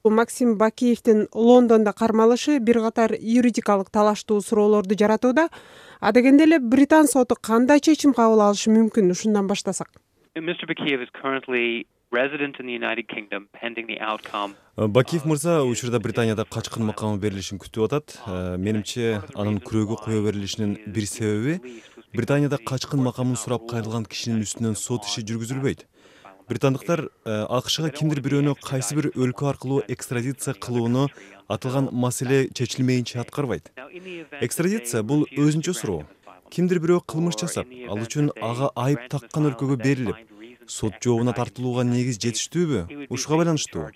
Максим Бакиевдин Лондондо кармалышы бир катар юридикалык талаштуу суроолорду жаратууда. А дегенде эле Британ соту кандай чечим кабыл алышы мүмкүн? Ушундан баштасак. Mr. Bakiev is currently resident in the United Kingdom pending the outcome. Бакиев мырза учурда Британияда качкын макамы берилишин күтүп атат. Менимче, анын күрөөгө кое берилишинин бир себеби Британияда качкын макамын сурап кайрылган кишинин үстүнөн сот иши жүргүзүлбөйт. Британдыктар АКШга кимдир бирөөнү кайсы бир өлкө аркылуу экстрадиция кылууну аталган маселе чечилмейинче аткарбайт. Экстрадиция бул өзүнчө суроо. Кимдир бирөө кылмыш жасап, ал үчүн ага айып таккан өлкөгө берилип, сот жообуна тартылууга негиз жетиштүүбү, ушуга байланыштуу.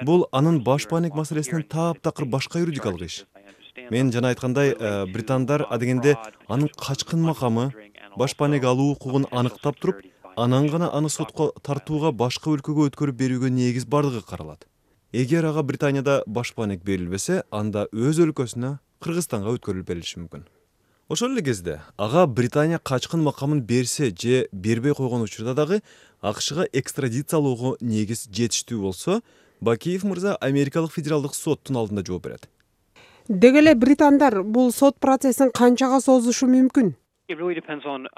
Бул анын баш бааник маселесинен таптакыр башка юридикалык иш. Мен жана айткандай, британдар адегенде анын качкын макамы, баш бааник алуу укугун аныктап туруп, анан гана аны сотко тартууга башка өлкөгө өткөрүп берүүгө негиз бардыгы каралат. Эгер ага Британияда баш бааник берилбесе, анда өз өлкөсүнө, Кыргызстанга өткөрүлүп берилиши мүмкүн. Ошол эле кезде ага Британия качкын макамын берсе же бербей койгон учурда дагы АКШга экстрадициялоого негиз жетиштүү болсо, Бакиев мырза Америкалык федералдык соттун алдында жооп берет. Деги эле британдар бул сот процессин канчага созушу мүмкүн? It really depends on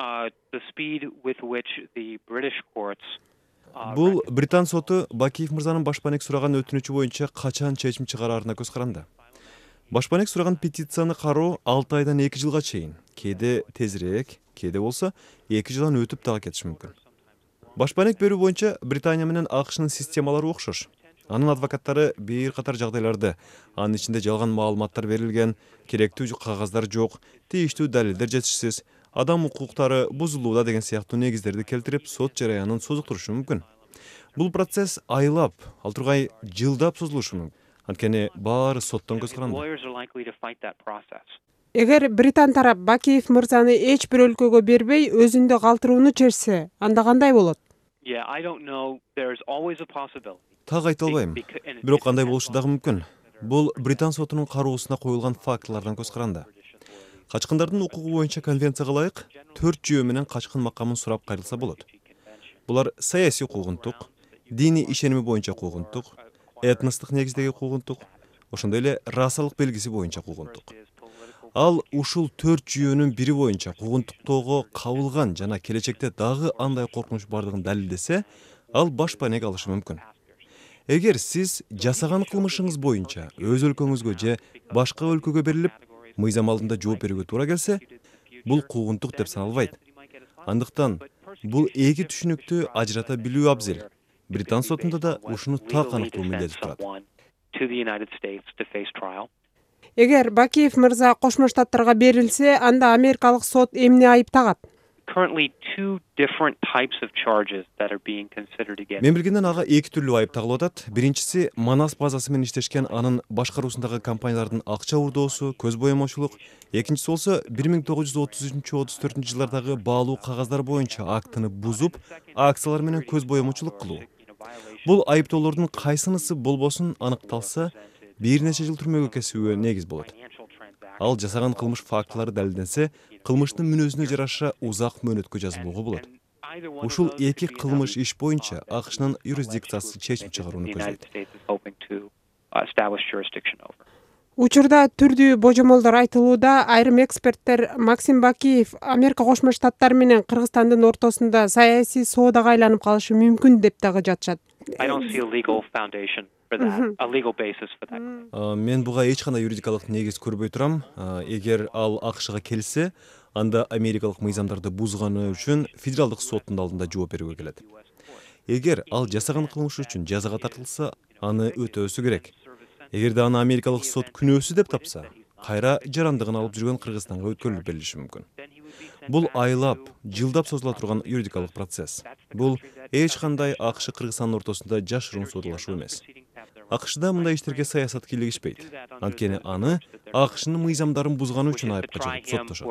the speed with which the British courts. Бул Британ соту Бакиев мырзанын баш бааник сураган өтүнүчү боюнча качан чечим чыгараарына көз каранды. Баш бааник сураган петицияны кароо 6 айдан 2 жылга чейин, кээде тезирээк, кээде болсо 2 жылдан өтүп дагы кетиши мүмкүн. Баш бааник берүү боюнча Британия менен АКШнын системалары окшош. Анын адвокаттары бир катар жагдайларды, анын ичинде жалган маалыматтар берилген, керектүү кагаздар жок, тийиштүү далилдер жетишсиз, адам укуктары бузулууда деген сыяктуу негиздерди келтирип, сот жараянын созуктурушу мүмкүн. Бул процесс айлап, ал тургай жылдап созулушу мүмкүн. Анткени баары соттон көз каранды. Эгер Британ тарап Бакиев мырзаны эч бир өлкөгө бербей, өзүндө калтырууну чечсе, анда кандай болот? Так айта албайм. Бирок кандай болушу дагы мүмкүн. Бул Британ сотунун кароосуна коюлган фактылардан көз каранды. Качкындардын укугу боюнча конвенцияга ылайык 4 жүйө менен качкын макамын сурап кайрылса болот. Булар саясий куугунтук, диний ишеними боюнча куугунтук, этностук негиздеги куугунтук, ошондой эле расалык белгиси боюнча куугунтук. Ал ушул 4 жүйөнүн бири боюнча куугунтуктоого кабылган жана келечекте дагы андай коркунуч бардыгын далилдесе, ал баш бааник алышы мүмкүн. Эгер сиз жасаган кылмышыңыз боюнча өз өлкөңүзгө же башка өлкөгө берилип, мыйзам алдында жооп берүүгө туура келсе, бул куугунтук деп саналбайт. Андыктан бул эки түшүнүктү ажырата билүү абзел. Британ сотунда да ушуну так аныктоо милдети турат. Эгер Бакиев мырза Кошмо Штаттарга берилсе, анда америкалык сот эмне айыптагат? Мен билгенден ага эки түрлүү айып тагылып атат. Биринчиси Манас базасы менен иштешкен анын башкаруусундагы компаниялардын акча урдоосу, көз боемочулук. Экинчиси болсо 1933-34 жылдардагы баалуу кагаздар боюнча актыны бузуп, акциялар менен көз боемочулук кылуу. Бул айыптоолордун кайсынысы болбосун аныкталса, бир нече жыл түрмөгө кесүүгө негиз болот. Ал жасаган кылмыш фактылары далилденсе, кылмыштын мүнөзүнө жараша узак мөөнөткө жазылууга болот. Ушул эки кылмыш иш боюнча АКШнын юрисдикциясы чечим чыгарууну көздөйт. Учурда түрдүү божомолдор айтылууда, айрым эксперттер Максим Бакиев Америка Кошмо Штаттары менен Кыргызстандын ортосунда саясий соодага айланып калышы мүмкүн деп дагы жатышат. Мен буга эч кандай юридикалык негиз көрбөй турам. Эгер ал АКШга келсе, анда америкалык мыйзамдарды бузганы үчүн федералдык соттун алдында жооп берүүгө келет. Эгер ал жасаган кылмышы үчүн жазага тартылса, аны өтөөсү керек. Эгерде аны америкалык сот күнөөсүз деп тапса, кайра жарандыгын алып жүргөн Кыргызстанга өткөрүлүп берилиши мүмкүн. Бул айлап, жылдап созула турган юридикалык процесс. Бул эч кандай АКШ Кыргызстандын ортосунда жашыруун соодалашуу эмес. АКШда мындай иштерге саясат кийлигишпейт. Анткени аны АКШнын мыйзамдарын бузганы үчүн айыпка жыгып соттошот.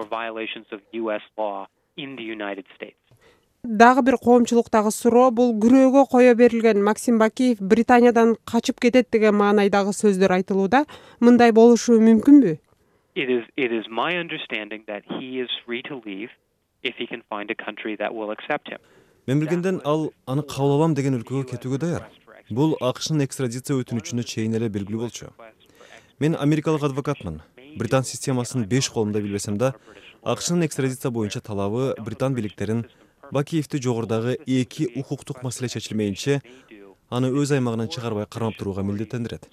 Дагы бир коомчулуктагы суроо бул күрөөгө кое берилген Максим Бакиев Британиядан качып кетет деген маанайдагы сөздөр айтылууда. Мындай болушу мүмкүнбү? Мен билгенден ал аны кабыл алам деген өлкөгө кетүүгө даяр. Бул АКШнын экстрадиция өтүнүчүнө чейин эле белгилүү болчу. Мен америкалык адвокатмын. Британ системасын 5 колумда билбесем да, АКШнын экстрадиция боюнча талабы Британ бийликтерин Бакиевди жогорудагы 2 укуктук маселе чечилмейинче аны өз аймагынан чыгарбай кармап турууга милдеттендирет.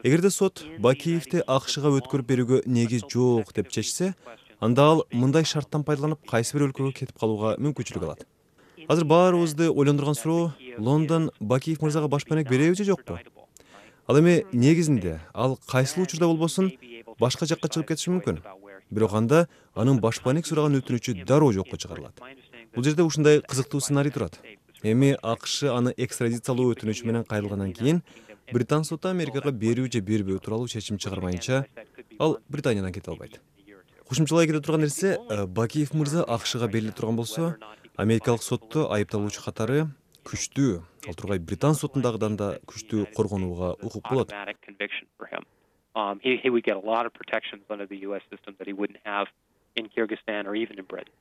Эгерде сот Бакиевди АКШга өткөрүп берүүгө негиз жок деп чечсе, анда ал мындай шарттан пайдаланып кайсы бир өлкөгө кетип калууга мүмкүнчүлүк алат. Азыр баарыбызды ойлондурган суроо, Лондон Бакиев мырзага башпанек береби же жокпу? Ал эми негизинде ал кайсыл учурда болбосун башка жакка чыгып кетиши мүмкүн. Бирок анда анын башпанек сураган өтүнүчү дароо жокко чыгарылат. Бул жерде ушундай кызыктуу сценарий турат. Эми АКШ аны экстрадициялоо өтүнүчү менен кайрылгандан кийин Британ соту Америкага берүү же бербөө тууралуу чечим чыгармайынча ал Британиядан кете албайт. Кошумчалай кете турган нерсе, Бакиев мырза АКШга бериле турган болсо, америкалык сотто айыпталуучу катары күчтүү, ал тургай Британ сотундагыдан да күчтүү коргонууга укук болот. He would get a lot of protections under the US system that he wouldn't have in Kyrgyzstan or even in Britain.